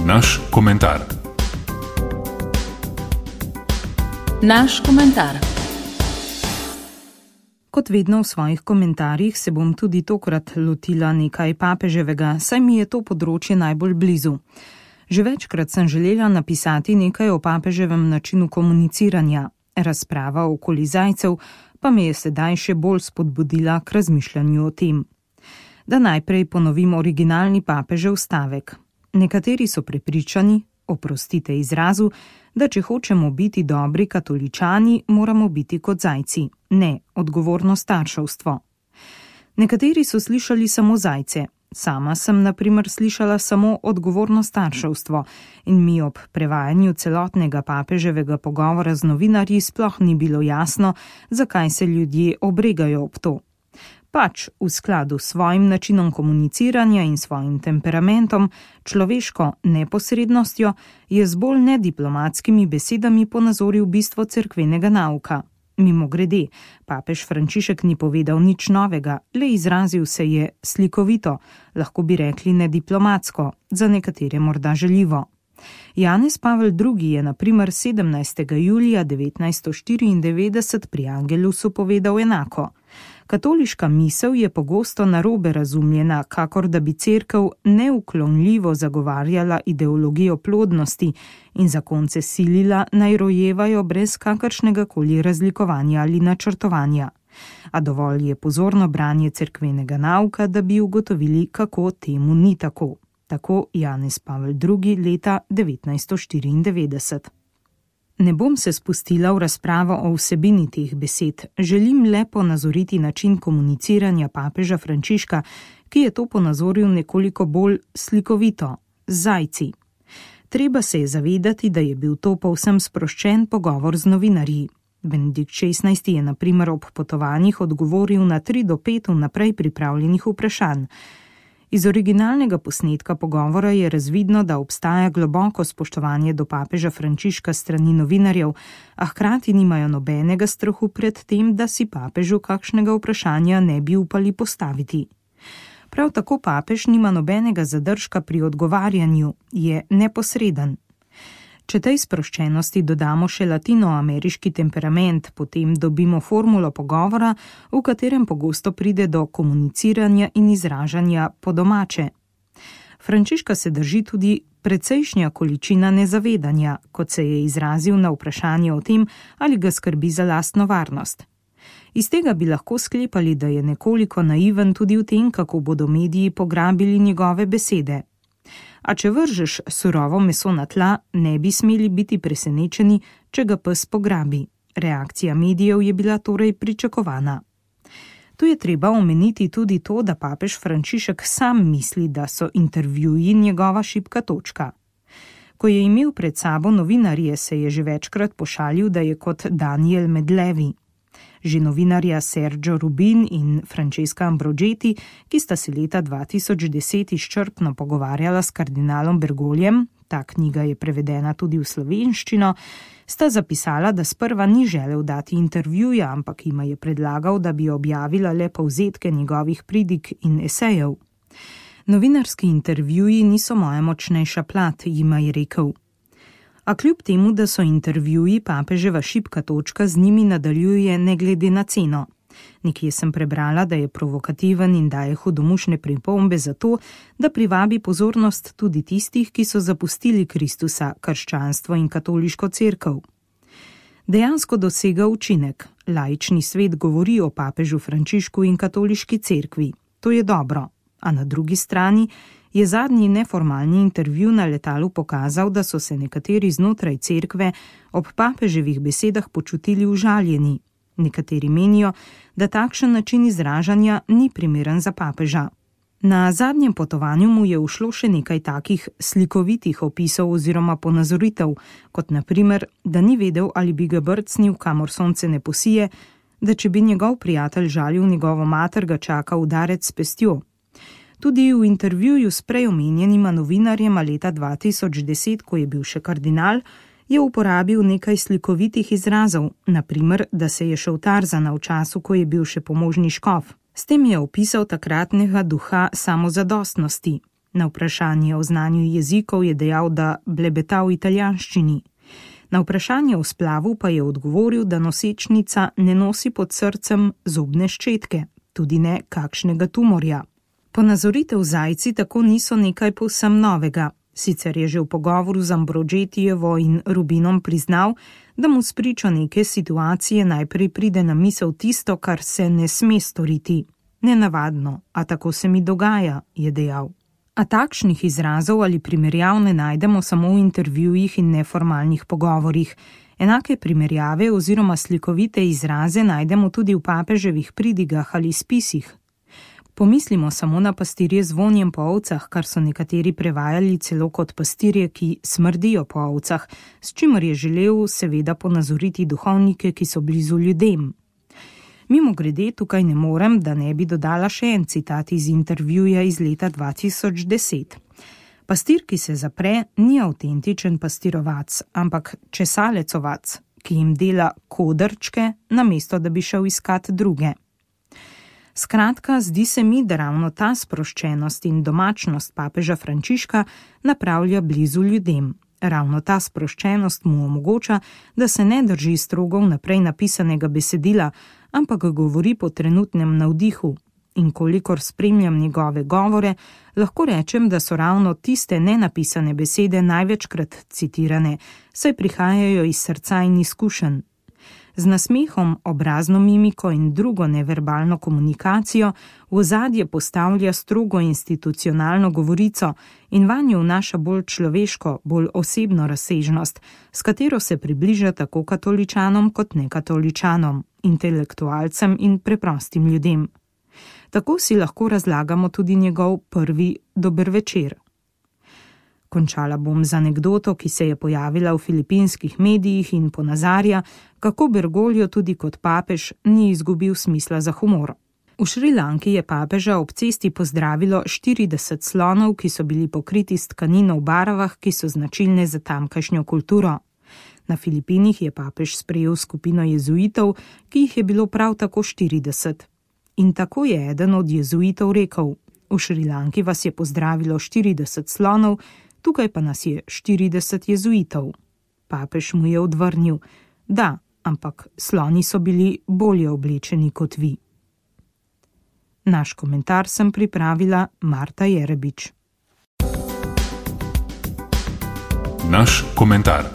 Naš komentar. Naš komentar. Kot vedno v svojih komentarjih se bom tudi tokrat lotila nekaj papeževega, saj mi je to področje najbolj blizu. Že večkrat sem želela napisati nekaj o papeževem načinu komuniciranja. Razprava okoli zajcev pa me je sedaj še bolj spodbudila k razmišljanju o tem. Da najprej ponovim originalni papežev stavek. Nekateri so prepričani, oprostite izrazu, da če hočemo biti dobri katoličani, moramo biti kot zajci, ne odgovorno starševstvo. Nekateri so slišali samo zajce, sama sem na primer slišala samo odgovorno starševstvo in mi ob prevajanju celotnega papeževega pogovora z novinarji sploh ni bilo jasno, zakaj se ljudje obregajo ob to. Pač v skladu s svojim načinom komuniciranja in svojim temperamentom, človeško neposrednostjo, je z bolj nediplomatskimi besedami ponazoril bistvo cerkvenega nauka. Mimogrede, papež Frančišek ni povedal nič novega, le izrazil se je slikovito, lahko bi rekli nediplomatsko, za nekatere morda žaljivo. Janez Pavel II. Je na primer 17. julija 1994 pri Angelusu povedal enako. Katoliška misel je pogosto narobe razumljena, kakor da bi cerkev neuklonljivo zagovarjala ideologijo plodnosti in zakonce silila naj rojevajo brez kakršnega koli razlikovanja ali načrtovanja. A dovolj je pozorno branje cerkvenega nauka, da bi ugotovili, kako temu ni tako. Tako Janez Pavel II. Leta 1994. Ne bom se spustila v razpravo o vsebini teh besed, želim le ponazoriti način komuniciranja papeža Frančiška, ki je to ponazoril nekoliko bolj slikovito, z zajci. Treba se je zavedati, da je bil to povsem sproščen pogovor z novinarji. Benedikt XVI. Je na primer ob potovanjih odgovoril na 3 do 5 vnaprej pripravljenih vprašanj. Iz originalnega posnetka pogovora je razvidno, da obstaja globoko spoštovanje do papeža Frančiška strani novinarjev, a hkrati nimajo nobenega strahu pred tem, da si papežu kakšnega vprašanja ne bi upali postaviti. Prav tako papež nima nobenega zadržka pri odgovarjanju, je neposreden. Če tej sproščenosti dodamo še latinoameriški temperament, potem dobimo formulo pogovora, v katerem pogosto pride do komuniciranja in izražanja po domače. Frančiška se drži tudi precejšnja količina nezavedanja, kot se je izrazil na vprašanje o tem, ali ga skrbi za lastno varnost. Iz tega bi lahko sklepali, da je nekoliko naiven tudi v tem, kako bodo mediji pograbili njegove besede. A če vržeš surovo meso na tla, ne bi smeli biti presenečeni, če ga pes pograbi. Reakcija medijev je bila torej pričakovana. Tu je treba omeniti tudi to, da papež Frančišek sam misli, da so intervjuji njegova šibka točka. Ko je imel pred sabo novinarje, se je že večkrat pošalil, da je kot Daniel med levi. Že novinarja Sergio Rubin in Francesca Ambrogetti, ki sta se leta 2010 izčrpno pogovarjala s kardinalom Bergoljem, ta knjiga je prevedena tudi v slovenščino, sta zapisala, da sprva ni želel dati intervjuja, ampak jima je predlagal, da bi objavila le povzetke njegovih pridig in esejev. Novinarski intervjuji niso moja močnejša plat, jima je rekel. A kljub temu, da so intervjuji papeževa šibka točka, z njimi nadaljuje ne glede na ceno. Nekje sem prebrala, da je provokativen in daje hudomušne pripombe za to, da privabi pozornost tudi tistih, ki so zapustili Kristusa, krščanstvo in katoliško cerkev. Dejansko dosega učinek. Laični svet govori o papežu Frančišku in katoliški cerkvi. To je dobro. A na drugi strani je zadnji neformalni intervju na letalu pokazal, da so se nekateri znotraj cerkve ob papeževih besedah počutili užaljeni. Nekateri menijo, da takšen način izražanja ni primeren za papeža. Na zadnjem potovanju mu je ušlo še nekaj takih slikovitih opisov oziroma ponazoritev, kot na primer, da ni vedel, ali bi ga brcnil, kamor sonce ne posije, da če bi njegov prijatelj žalil njegovo mater, ga čaka udarec s pestjo. Tudi v intervjuju s prej omenjenima novinarjema leta 2010, ko je bil še kardinal, je uporabil nekaj slikovitih izrazov, na primer, da se je šel Tarzana v času, ko je bil še pomožni škof. S tem je opisal takratnega duha samozadostnosti. Na vprašanje o znanju jezikov je dejal, da blebeta v italijanščini. Na vprašanje o splavu pa je odgovoril, da nosečnica ne nosi pod srcem zobne ščetke, tudi ne kakšnega tumorja. Ponazoritev zajci tako niso nekaj povsem novega. Sicer je že v pogovoru z Ambrožetijevo in Rubinom priznal, da mu spričo neke situacije najprej pride na misel tisto, kar se ne sme storiti. Nenavadno, a tako se mi dogaja, je dejal. A takšnih izrazov ali primerjav ne najdemo samo v intervjujih in neformalnih pogovorih. Enake primerjave oziroma slikovite izraze najdemo tudi v papeževih pridigah ali spisih. Pomislimo samo na pastirje z vonjem po ovcah, kar so nekateri prevajali celo kot pastirje, ki smrdijo po ovcah, s čimer je želel seveda ponazoriti duhovnike, ki so blizu ljudem. Mimogrede, tukaj ne morem, da ne bi dodala še en citat iz intervjuja iz leta 2010. Pastir, ki se zapre, ni avtentičen pastirovac, ampak česalecovac, ki jim dela kodrčke, namesto da bi šel iskat druge. Skratka, zdi se mi, da ravno ta sproščenost in domačnost papeža Frančiška napravlja blizu ljudem. Ravno ta sproščenost mu omogoča, da se ne drži strogo vnaprej napisanega besedila, ampak govori po trenutnem navdihu. In kolikor spremljam njegove govore, lahko rečem, da so ravno tiste nenapisane besede največkrat citirane, saj prihajajo iz srca in izkušenj. Z nasmehom, obrazno mimiko in drugo neverbalno komunikacijo v ozadje postavlja strogo institucionalno govorico in vanjo vnaša bolj človeško, bolj osebno razsežnost, s katero se približa tako katoličanom kot nekatoličanom, intelektualcem in preprostim ljudem. Tako si lahko razlagamo tudi njegov prvi dober večer. Končala bom z anekdoto, ki se je pojavila v filipinskih medijih in ponazarja, kako Bergoglio tudi kot papež ni izgubil smisla za humor. V Šrilanki je papeža ob cesti pozdravilo 40 slonov, ki so bili pokriti s tkanino v barvah, ki so značilne za tamkajšnjo kulturo. Na Filipinih je papež sprejel skupino jezuitov, ki jih je bilo prav tako 40. In tako je eden od jezuitov rekel: v Šrilanki vas je pozdravilo 40 slonov, tukaj pa nas je 40 jezuitov. Papež mu je odvrnil: da, ampak sloni so bili bolje oblečeni kot vi. Naš komentar sem pripravila Marta Jerebič. Naš komentar.